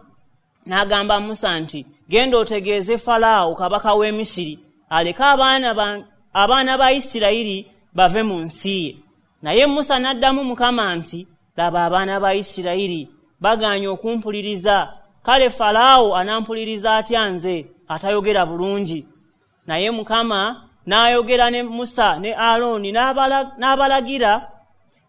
n'agamba Musa nti, genda otegeeze Falaawo kabaka w'e Misiri aleke abaana ba, abaana ba Isirayiri bave mu nsi ye. Naye Musa n'addamu Mukama nti, laba abaana ba Isirayiri bagaanye okumpuliriza, Kale Falaawo anampuliriza atya nze atayogera bulungi? Naye Mukama n'ayogera ne Musa ne Alooni n'abalagira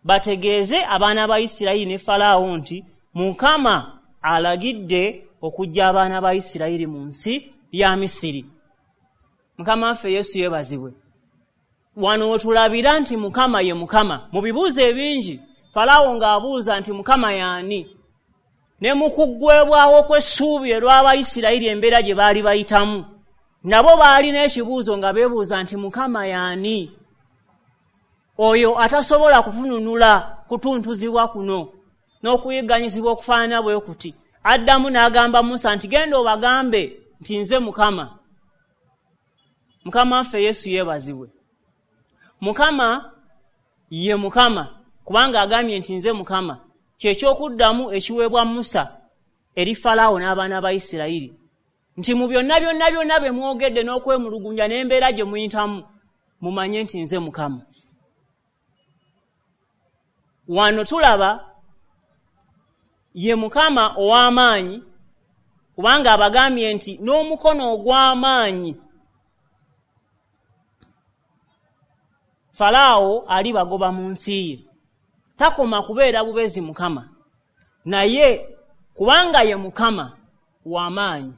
bategeeze abaana ba Isirayiri ne Falaawo nti Mukama alagidde okuggya abaana ba Isirayiri mu nsi ya Misiri. Mukama waffe Yesu yeebazibwe. Wano wetulabira nti Mukama ye Mukama. Mu bibuuzo ebingi Falaawo ng'abuuza nti Mukama y'ani, ne mu kuggwebwawo kw'essuubi erw'Abayisirayiri embeera gye baali bayitamu, nabo baalina ekibuuzo nga beebuuza nti Mukama y'ani, oyo atasobola kutununula kutuntuzibwa kuno n'okuyigganyizibwa okufaanana bwe kuti. Addamu n'agamba Musa nti genda obagambe nti nze Mukama. Mukama waffe Yesu yeebazibwe. Mukama ye Mukama, kubanga agambye nti nze Mukama. Kyekyokuddamu ekiweebwa Musa eri Falaawo n'abaana ba Isirayiri nti mu byonna byonna byonna bye mwogedde n'okwemulugunya n'embeera gye muyitamu, mumanye nti nze Mukama. Wano tulaba ye Mukama ow'amaanyi, kubanga abagambye nti n'omukono ogw'amaanyi Falaawo alibagoba mu nsi ye. Takoma kubeera bubezi Mukama, naye kubanga ye Mukama w'amaanyi,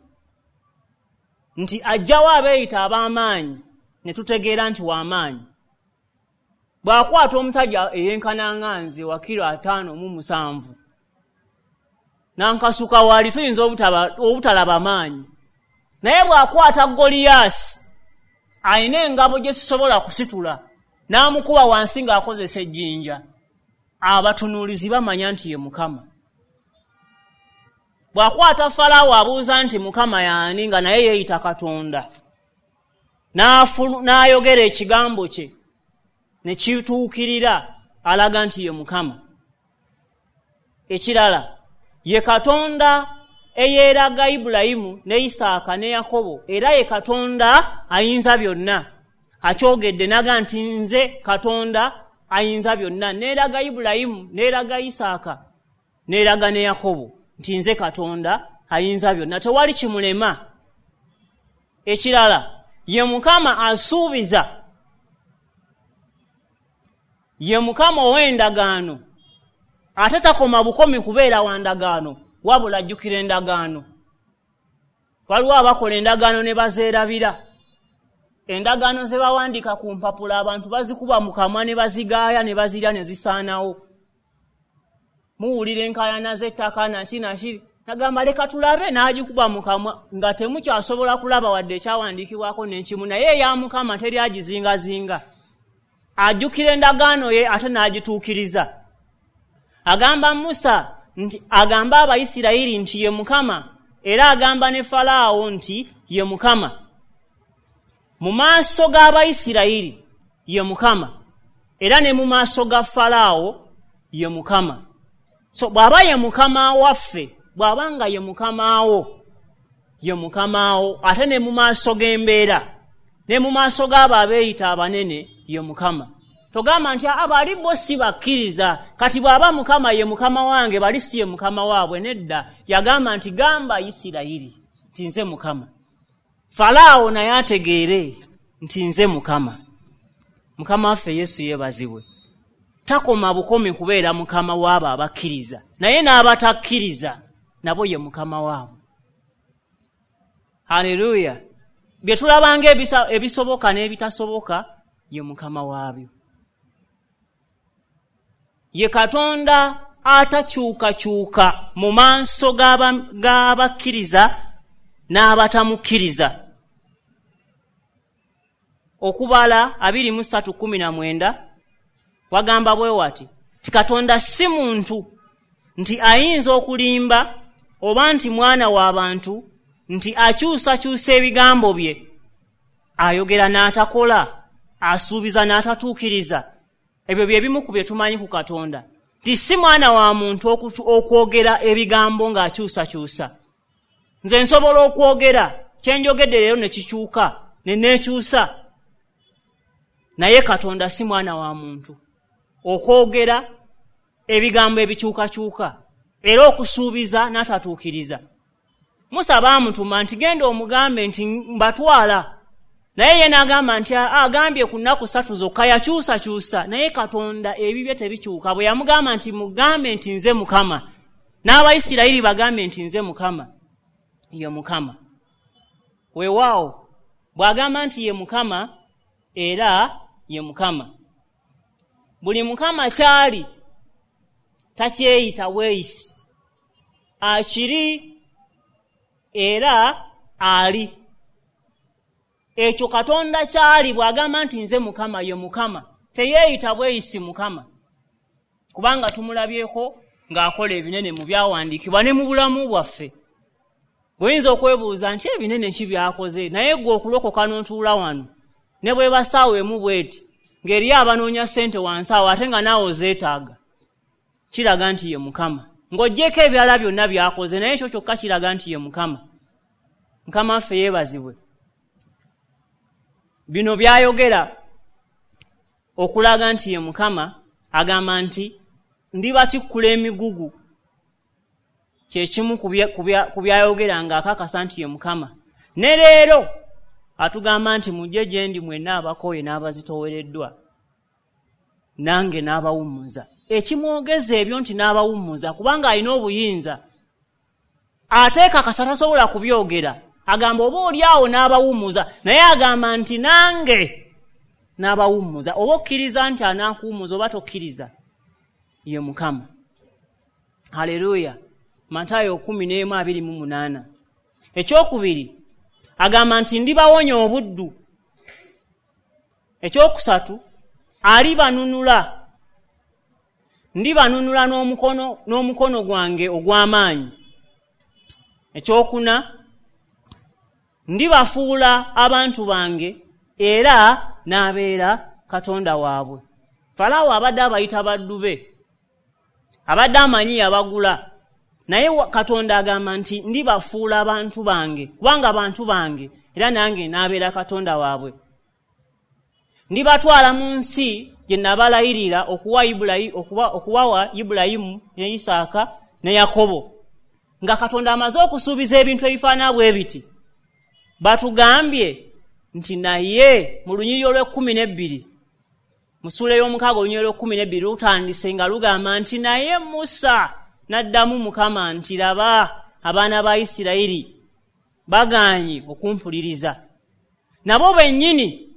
nti ajjawo abeeyita ab'amaanyi ne tutegeera nti w'amaanyi. Bw'akwata omusajja eyenkana nga nze wa kiro ataano mu musanvu nankasuka wali, tuyinza obutalaba maanyi, naye bw'akwata Goliyaasi alina engabo gye sisobola kusitula n'amukuba wansi ng'akozesa ejjinja, abatunuulizi bamanya nti ye Mukama. Bw'akwata Falaawo abuuza nti Mukama y'ani, nga naye yeeyita Katonda, n'ayogera ekigambo kye ne kituukirira, alaga nti ye Mukama. Ekirala, ye Katonda eyeeraga Ibulayimu ne Isaaka ne Yakobo, era ye Katonda ayinza byonna. Akyogedde naga nti nze Katonda ayinza byonna. Neeraga Ibulayimu, neeraga Isaaka, neeraga ne Yakobo nti nze Katonda ayinza byonna, tewali kimulema. Ekirala, ye Mukama asuubiza, ye Mukama ow'endagaano, ate takoma bukomi kubeera wa ndagaano, wabula ajjukira endagaano. Waliwo abakola endagaano ne bazeerabira. Endagaano ze bawandiika ku mpapula abantu bazikuba mu kamwa ne bazigaaya ne bazirya ne zisaanawo. Muwulira enkaayana z'ettaka naki naki, nagamba leka tulabe, n'agikuba mu kamwa nga temukyasobola kulaba wadde ekyawandiikibwako n'ekimu, naye eya Mukama teri agizingazinga. Ajjukira endagaano ye ate n'agituukiriza. Agamba Musa nti agamba Abayisirayiri nti ye Mukama, era agamba ne Falaawo nti ye Mukama. Mu maaso g'Abayisirayiri ye Mukama, era ne mu maaso ga Falaawo ye Mukama. So bw'aba ye Mukama waffe, bw'aba nga ye Mukamaawo, ye Mukamaawo, ate ne mu maaso g'embeera, ne mu maaso g'abo abeeyita abanene ye Mukama. Togamba nti abali bo si bakkiriza, kati bw'aba Mukama ye Mukama wange, bali si ye Mukama waabwe. Nedda, yagamba nti gamba Isirayiri nti nze Mukama. Falaawo naye ategeere nti nze Mukama. Mukama waffe Yesu yeebazibwe. Takoma bukomi kubeera Mukama w'abo abakkiriza, naye n'abatakkiriza nabo ye Mukama waabwe. Haleluya! Bye tulabanga ebisoboka n'ebitasoboka ye Mukama waabyo. Ye Katonda atakyukakyuka mu maaso g'abakkiriza n'abatamukkiriza. Okubala abiri mu ssatu kkumi na mwenda wagamba bwe wati ti Katonda si muntu nti ayinza okulimba, oba nti mwana w'abantu nti akyusakyusa ebigambo bye. Ayogera n'atakola, asuubiza n'atatuukiriza. Ebyo bye bimu ku bye tumanyi ku Katonda, nti si mwana wa muntu okwogera ebigambo ng'akyusakyusa. Nze nsobola okwogera kye njogedde leero ne kikyuka ne neekyusa, naye Katonda si mwana wa muntu okwogera ebigambo ebikyukakyuka, era okusuubiza n'atatuukiriza. Musa baamutuma nti genda omugambe nti mbatwala, naye ye n'agamba nti agambye ku nnaku ssatu zokka, yakyusakyusa. Naye Katonda ebibye tebikyuka. Bwe yamugamba nti mugambe nti nze Mukama, n'Abayisirayiri bagambe nti nze Mukama, ye Mukama. Weewaawo bw'agamba nti ye Mukama, era ye Mukama. Buli Mukama kyali takyeyita bweyisi, akiri era ali. Ekyo Katonda kyali bw'agamba nti nze Mukama, ye Mukama, teyeeyita bweyisi Mukama, kubanga tumulabyeko ng'akola ebinene mu byawandiikibwa ne mu bulamu bwaffe. Bw'oyinza okwebuuza nti ebinene ki by'akoze, naye ggwe okulokoka n'otuula wano ne bw'eba ssaawa emu bw'eti ng'eriyo abanoonya ssente wansi awo ate nga naawe ozeetaaga, kiraga nti ye Mukama. Ng'oggyeko ebirala byonna by'akoze, naye ekyo kyokka kiraga nti ye Mukama. Mukama waffe yeebazibwe. Bino by'ayogera okulaga nti ye Mukama. Agamba nti ndibatikkula emigugu, kye kimu ku byayogera ng'akakasa nti ye Mukama. Ne leero atugamba nti mujje gye ndi mwenna abakooye n'abazitoowereddwa, nange n'abawummuza. Ekimwogeza ebyo nti n'abawummuza kubanga alina obuyinza, ate kakasa tasobola kubyogera. Agamba oba oli awo n'abawummuza, naye agamba nti nange n'abawummuza. Oba okkiriza nti anaakuwummuza oba tokkiriza, ye Mukama. Haleluya. Matayo kumi n'emu abiri mu munaana. Ekyokubiri agamba nti ndibawonya obuddu. Ekyokusatu alibanunula, ndibanunula n'omukono n'omukono gwange ogw'amaanyi. Ekyokuna ndibafuula abantu bange era n'abeera Katonda waabwe. Falaawo abadde abayita baddu be, abadde amanyi yabagula, naye Katonda agamba nti ndibafuula abantu bange, kubanga bantu bange era nange n'abeera Katonda waabwe. Ndibatwala mu nsi gye nabalayirira okuwa Ibulayimu, okuwawa Ibulayimu ne Isaaka ne Yakobo. Nga Katonda amaze okusuubiza ebintu ebifaanana bwe biti, batugambye nti naye mu lunyiriri olw'ekkumi n'ebbiri, mu ssuula ey'omukaaga olunyiriri olw'ekkumi n'ebbiri lutandise nga lugamba nti naye Musa n'addamu Mukama nti laba abaana ba Isirayiri bagaanye okumpuliriza, nabo bennyini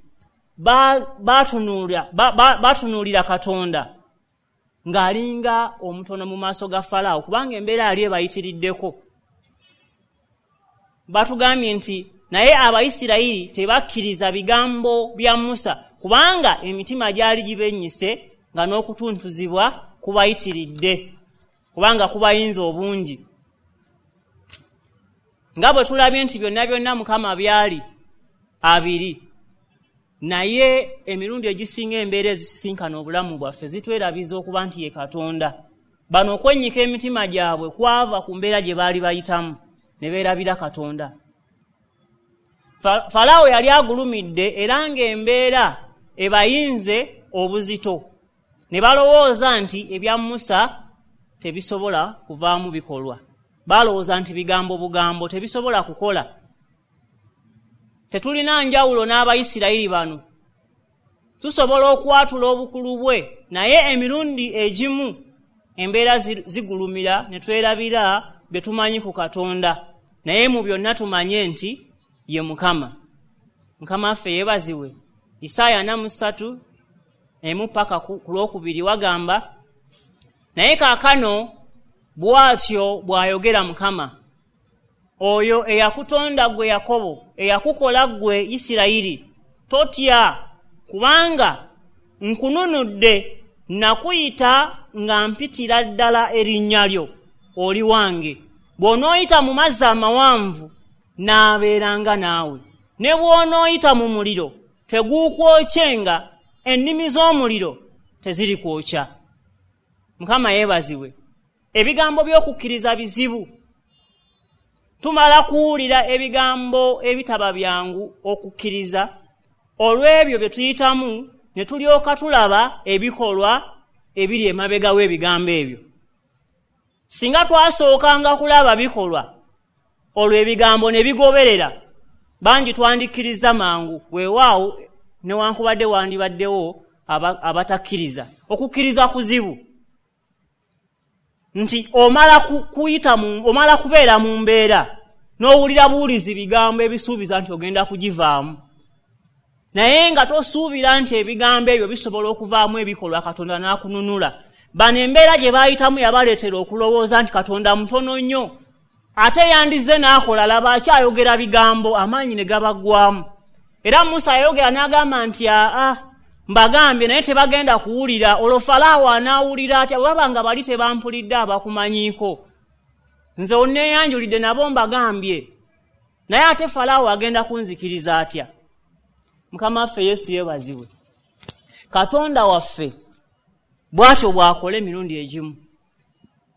batunuulira batunuulira Katonda ng'alinga omutono mu maaso ga Falaawo, kubanga embeera yali ebayitiriddeko. Batugambye nti naye Abayisirayiri tebakkiriza bigambo bya Musa, kubanga emitima gyali gibennyise nga n'okutuntuzibwa kubayitiridde, kubanga kubayinza obungi. Nga bwe tulabye nti byonna byonna Mukama byali abiri, naye emirundi egisinga embeera ezisisinkana obulamu bwaffe zitwerabiza okuba nti ye Katonda. Bano okwennyika emitima gyabwe kwava ku mbeera gye baali bayitamu ne beerabira Katonda. Falaawo yali agulumidde era ng'embeera ebayinze obuzito, ne balowooza nti ebya Musa tebisobola kuvaamu bikolwa. Balowooza nti bigambo bugambo tebisobola kukola. Tetulina njawulo n'Abayisirayiri bano, tusobola okwatula obukulu bwe, naye emirundi egimu embeera zigulumira ne twerabira bye tumanyi ku Katonda. Naye mu byonna tumanye nti ye Mukama. Mukama waffe yeebazibwe. Isaaya ana mu ssatu emu paka ku lwokubiri wagamba, naye kaakano bw'atyo bw'ayogera Mukama, oyo eyakutonda ggwe Yakobo, eyakukola ggwe Isirayiri, totya, kubanga nkununudde, nakuyita nga mpitira ddala erinnya lyo, oli wange. Bw'onooyita mu mazzi amawanvu, naabeeranga naawe, ne bw'onooyita mu muliro, teguukwokyenga, ennimi z'omuliro tezirikwokya. Mukama yeebazibwe. Ebigambo by'okukkiriza bizibu. Tumala kuwulira ebigambo ebitaba byangu okukkiriza olw'ebyo bye tuyitamu, ne tulyoka tulaba ebikolwa ebiri emabega w'ebigambo ebyo. Singa twasookanga kulaba bikolwa, Olwo ebigambo ne bigoberera. Bangi twandikkiriza mangu, weewaawo newankubadde wandibaddewo abatakkiriza. Okukkiriza kuzibu nti omala kuyita mu, omala kubeera mu mbeera n'owulira buwulizi bigambo ebisuubiza nti ogenda kugivaamu, naye nga tosuubira nti ebigambo ebyo bisobola okuvaamu ebikolwa Katonda n'akununula. Bano embeera gye baayitamu yabaleetera okulowooza nti Katonda mutono nnyo, ate yandize n'akola, laba akyayogera bigambo, amaanyi ne gabaggwamu. Era Musa yayogera n'agamba nti aa, mbagambye naye tebagenda kuwulira. Olwo Falaawo anaawulira atya bwe baba nga bali tebampulidde abakumanyiiko? Nze onneeyanjulidde nabo mbagambye, naye ate Falaawo agenda kunzikiriza atya? Mukama waffe Yesu yeebazibwe. Katonda waffe bw'atyo bw'akola emirundi egimu,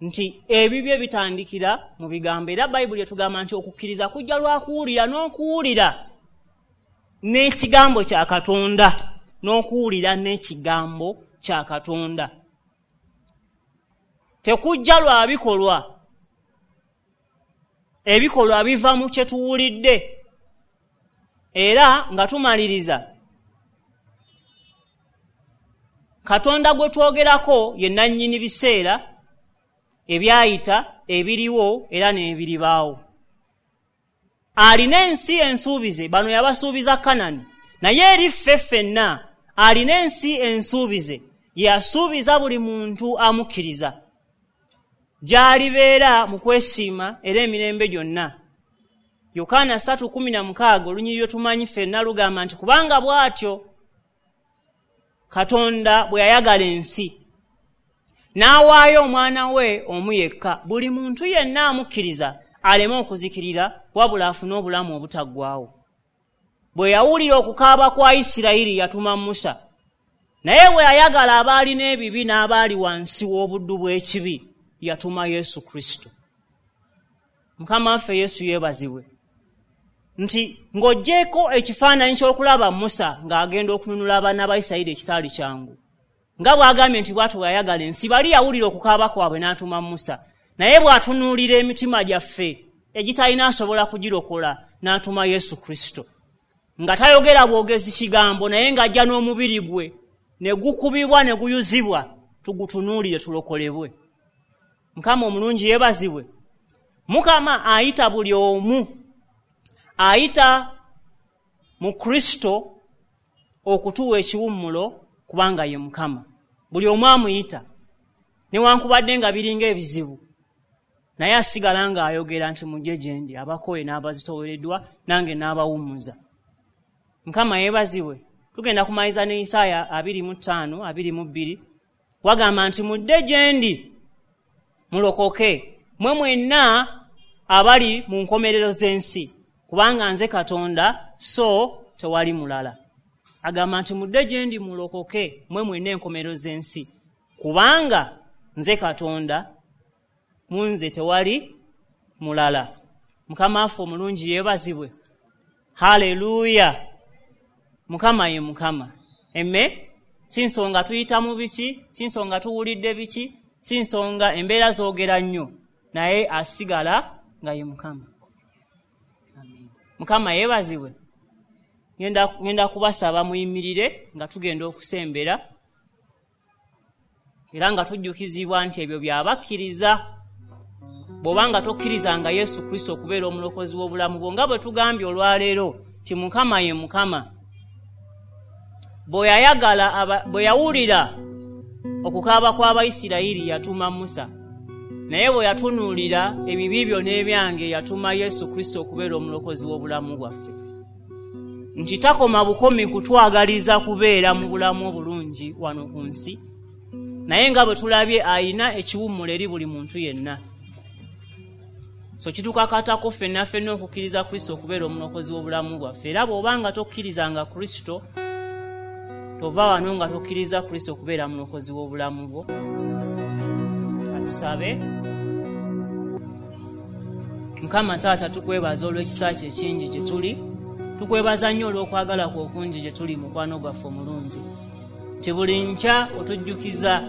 nti ebibyo bitandikira mu bigambo. Era Bayibuli etugamba nti okukkiriza kujja lwa kuwulira, n'okuwulira n'ekigambo kya Katonda, n'okuwulira n'ekigambo kya Katonda. Tekujja lwa bikolwa, ebikolwa biva mu kye tuwulidde. Era nga tumaliriza, Katonda gwe twogerako ye nannyini biseera ebyayita, ebiriwo era n'ebiribaawo. Alina ensi ensuubize, bano yabasuubiza Kanani, naye eri ffe ffenna alina ensi ensuubize yasuubiza buli muntu amukkiriza, gy'alibeera mu kwesiima era emirembe gyonna. Yokaana ssatu kkumi na mukaaga olunyiriri lwe tumanyi ffenna lugamba nti kubanga bw'atyo Katonda bwe yayagala ensi n'awaayo omwana we omu yekka, buli muntu yenna amukkiriza aleme okuzikirira wabula afune obulamu obutaggwaawo. Bwe yawulira okukaaba kwa Isirayiri yatuma Musa, naye bwe yayagala abaalina ebibi n'abaali wansi w'obuddu bw'ekibi yatuma Yesu Kristo. Mukama waffe Yesu yeebazibwe. Nti ng'oggyeko ekifaananyi ky'okulaba Musa ng'agenda okununula abaana ba Isirayiri ekitaali kyangu, nga bw'agambye nti bw'atyo bwe yayagala ensi, bali yawulira okukaaba kwabwe n'atuma Musa, naye bw'atunuulira emitima gyaffe egitalina asobola kugirokola n'atuma Yesu Kristo, nga tayogera bwogezi kigambo, naye ng'ajja n'omubiri gwe ne gukubibwa ne guyuzibwa, tugutunuulire tulokolebwe. Mukama omulungi yeebazibwe. Mukama ayita buli omu, ayita mu Kristo okutuwa ekiwummulo, kubanga ye Mukama. Buli omu amuyita, newankubadde nga biringa ebizibu, naye asigala ng'ayogera nti mujje gye ndi, abakooye n'abazitoowereddwa nange n'abawummuza. Mukama yeebazibwe. Tugenda kumaliza ne Isaaya abiri mu ttaano abiri mu bbiri, wagamba nti mudde gye ndi mulokoke mwe mwenna abali mu nkomerero z'ensi, kubanga nze Katonda so tewali mulala. Agamba nti mudde gye ndi mulokoke mwe mwenna enkomerero z'ensi, kubanga nze Katonda, mu nze tewali mulala. Mukama waffe omulungi yeebazibwe. Haleluya. Mukama ye Mukama. Emme si nsonga tuyita mu biki, si nsonga tuwulidde biki, si nsonga embeera zoogera nnyo, naye asigala nga ye Mukama. Mukama yeebazibwe. Ngenda, ngenda kubasaba muyimirire nga tugenda okusembera, era nga tujjukizibwa nti ebyo byabakkiriza. Bw'obanga tokkirizanga Yesu Kristo okubeera omulokozi w'obulamu bwo, nga bwe tugambye olwaleero nti Mukama ye Mukama. Bwe yayagala, bwe yawulira okukaaba kw'Abayisirayiri yatuma Musa, naye bwe yatunuulira ebibi byo n'ebyange yatuma Yesu Kristo okubeera omulokozi w'obulamu bwaffe. Nti takoma bukomi kutwagaliza kubeera mu bulamu obulungi wano ku nsi, naye nga bwe tulabye ayina ekiwummulo eri buli muntu yenna. So kitukakatako ffenna ffenna okukkiriza Kristo okubeera omulokozi w'obulamu bwaffe. Era bw'obanga tokkirizanga Kristo, tova wano nga tokkiriza Kristo okubeera mulokozi w'obulamu bwo. Atusabe. Mukama Taata, tukwebaza olw'ekisa kyo ekingi gye tuli. Tukwebaza nnyo olw'okwagala kwo okungi gye tuli, mukwano gwaffe omulungi. Nti buli nkya otujjukiza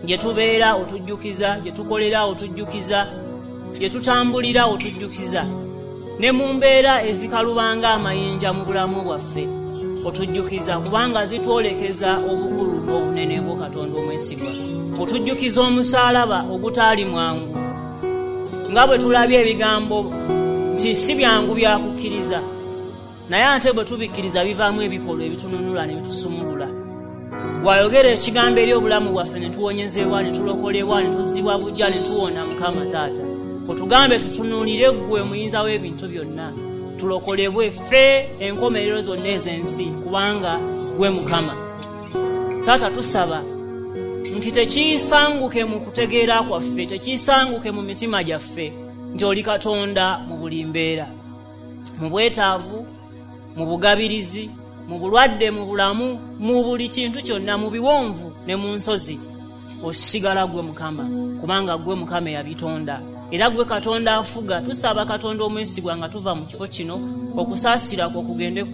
gye tubeera, otujjukiza gye tukolera, otujjukiza gye tutambulira otujjukiza, ne mu mbeera ezikalubanga amayinja mu bulamu bwaffe otujjukiza, kubanga zitwolekeza obukulu n'obunene bwo Katonda omwesigwa. Otujjukiza omusaalaba ogutaali mwangu, nga bwe tulabye ebigambo nti si byangu bya kukkiriza, naye ate bwe tubikkiriza bivaamu ebikolwa ebitununula ne bitusumulula. Bw'ayogera ekigambo eri obulamu bwaffe ne tuwonyezebwa, ne tulokolebwa, ne tuzzibwa buggya, ne tuwona. Mukama Taata, otugambe tutunuulire ggwe muyinza w'ebintu byonna, tulokolebwe ffe enkomerero zonna ez'ensi, kubanga ggwe Mukama. Taata, tusaba nti tekiisanguke mu kutegeera kwaffe, tekiisanguke mu mitima gyaffe nti oli Katonda mu buli mbeera, mu bwetaavu, mu bugabirizi, mu bulwadde, mu bulamu, mu buli kintu kyonna, mu biwonvu ne mu nsozi, osigala ggwe Mukama, kubanga ggwe Mukama eyabitonda era ggwe Katonda afuga. Tusaba Katonda omwesigwa nga tuva mu kifo kino, okusaasira kwo kugende,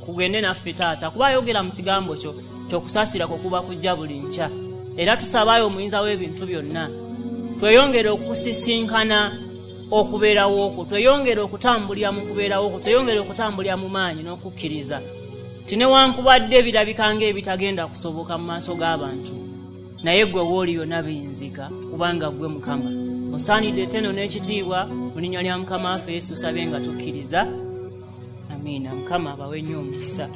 kugende naffe Taata, kuba ayogera mu kigambo kyo nti okusaasira kwo kuba kujja buli nkya. Era tusabayo omuyinza w'ebintu byonna tweyongere okusisinkana okubeerawo okwo, tweyongere okutambulira mu kubeerawo okwo, tweyongere okutambulira mu maanyi n'okukkiriza nti newankubadde birabika ng'ebitagenda kusoboka mu maaso g'abantu, naye ggwe wooli byonna biyinzika, kubanga ggwe Mukama. Osaanidde ettendo n'ekitiibwa mu linnya lya Mukama waffe Yesu tusabye nga tukkiriza, amiina. Mukama abawe nnyo omukisa.